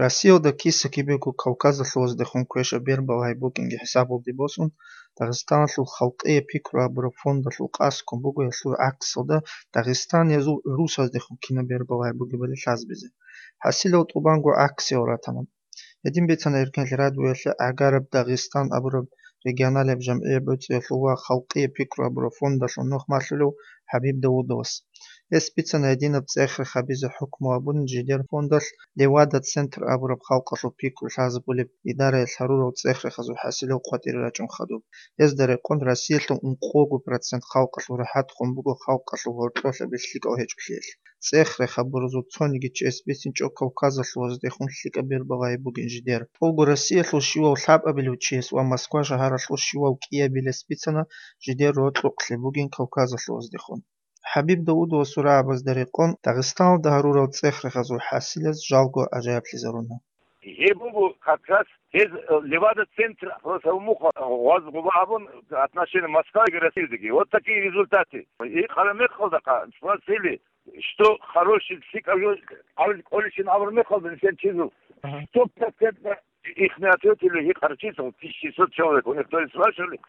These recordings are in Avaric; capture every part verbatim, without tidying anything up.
Россиялда киса-кибего Кавказалъулаздехун квеша бербал гьай букӀинги хӀисабалде босун, Дагъистаналъул халкъие пикру абураб фондалъул къаскун буго гьелъул гӀаксалда дагъистаниязул гӀурусаздехун кинаб бербал гьай бугебали лъазабизе. ХӀасилал тӀубанго гӀаксиял ратана. Гьедин бицана Эркенлъи радиоялъе гӀагараб Дагъистан абураб регионалияб жамгӀияб гӀуцӀиялъул ва халкъие пикру абураб фондалъул нух малъулев ХӀабиб Давудовас. Гьес бицана гьединаб цӀех-рех гьабизе хӀукму абун жидер фондалъ Левада-центр абураб халкъалъул пикру лъазабулеб идараялъ гьарурал цӀех-рехазул хӀасилал къватӀире рачӀун хадуб. Гьезда рекъон Россиялъул ункъого процент халкъалъул рахӀат хун буго халкъалъул гьоркьолъаби лъикӀал гьечӀолъиялъ. ЦӀех-рех гьабуразул цониги чияс бицинчӀо Кавказалъулаздехун лъикӀаб бербал гьай бугин жидер. ТӀолго Россиялъул щивав лъабабилев чияс ва Москва шагьаралъул щивав кӀиябилес бицана жидер рокьукълъи бугин Кавказалъулаздехун. ХӀабиб Давудовасул рагӀабазда рекъон, Дагъистаналда гьарурал цӀех-рехазул хӀасилаз жалго гӀажаиблъизаруна. Гьеб буго как раз гьез, э, Левада-центр, просто умуха, э, гъоз гъуба абун отношения Москваги Россиядеги. Вот такие результаты. И къарамехалда спросили, что хороший лъикӀав жо-, авл-, кӀолищин абур мехалда нилъер чизул. Ага. Сто процентов их не ответили, их харчисов, тысяча шестьсот человек, у них то есть спрашивали,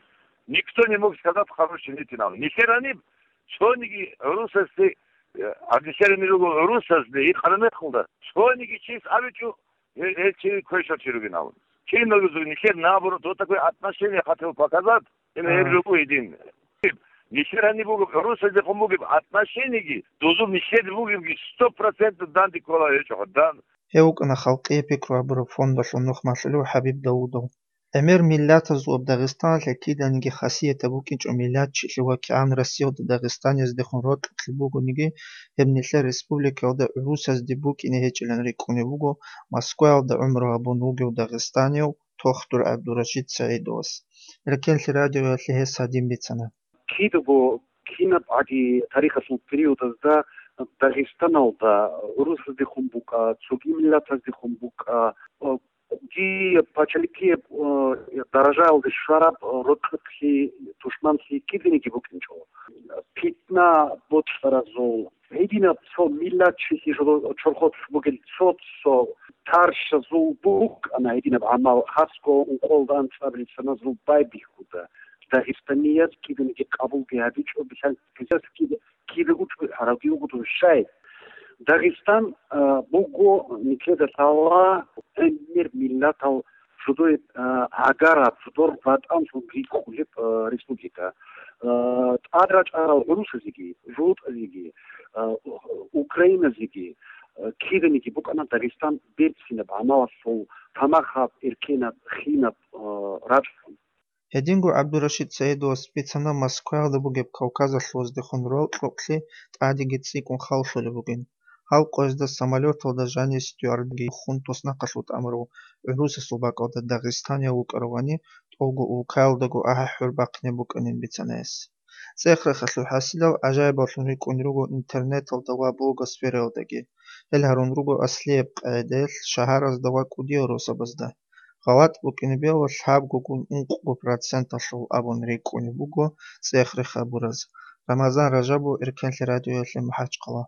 никто не мог сказать хороший нитинал. Нилъер гьаниб цониги гӀурусасде, э, гьаб нилъер гьаниб руго гӀурусазде, их къарамехалда, цониги чис абичӀо, гьел, гьел чи квешал чи ругин абун. Киналги нилъер наоборот, вот такое отношение хотел показать, именно гьеб Ага. жо буго гьедин. Нилъер гьаниб бугеб, гӀурусаздехун бугеб отношениеги, дозул нилъер бугебги сто процентов данде ккола гьечӀо, дан. Гьев вукӀана халкъие пикру абураб фондалъул нух малъулев ХӀабиб Давудов. ГӀемер миллатазулаб Дагъистаналъе киданиги хасиятаб букӀинчӀо миллатчилъи ва кигӀан Россиялда дагъистанияздехун рокьукълъи бугониги, гьеб нилъер республикаялда гӀурусазде букӀине гьечӀилан рикӀкӀунеб буго Москваялда гӀумру гьабун вугев дагъистанияв Тохтур ГӀабдурашид СагӀидовас. Эркенлъи радиоялъе гьес гьадин бицана. Кидаго кинаб гӀаги тарихалъул периодазда Дагъистаналда гӀурусаздехун букӀа, цоги миллатаздехун букӀа, э, кӀудияб пачалихъияб, э, даражаялде щвараб, э, рокьукълъи, тушманлъи киданиги букӀинчӀо. Питна бокьаразул, гьединаб цо миллатчилъи жо-, чорхолъ бугел цо-цо тарщазул букӀана гьединаб гӀамал, хасго ункъоялда анцӀабилеб саназул байбихьуда. Дагъистанияз киданиги къабулги гьабичӀо, бихьан-, бихьанги кидаго чӀухӀаравги вуго дун щай. Дагъистан, а, буго нилъеда лъала гӀемер миллатал жидер, а, гӀагараб, жидер ватӀанлъун рикӀкӀунеб, а, республика. А, тӀад рачӀарал гӀурусазеги, жугьутӀазеги, а, украиназеги, а, киданиги букӀана Дагъистан берцинаб гӀамалалъул тамахаб, эркенаб, хинаб, а, рачӀун. Гьединго ГӀабдурашид СагӀидовас бицана Москваялда бугеб Кавказалъулаздехун рокьукълъи тӀадеги цӀикӀкӀун халлъулеб бугин. Гьал къоязда самолёталда жаниве стюардги хун туснахъалъув тӀамурав гӀурусасул бакӀалда дагъистанияв вукӀаравани, тӀолго улкаялдаго ахӀи-хӀур бахъине букӀанин бицана гьес. ЦӀех-рехалъул хӀасилал гӀажаибаллъун рикӀкӀун руго интернеталда ва блогосфераялдаги. Гьел гьарун руго аслияб къагӀидаялъ шагьаразда ва кӀудиял росабазда. ГъалатӀ букӀине бегьула лъабгогун ункъго проценталъул абун рикӀкӀунеб буго цӀех-рех гьабураз. Рамазан Ражабов, Эркенлъи радиоялъе, МахӀачхъала.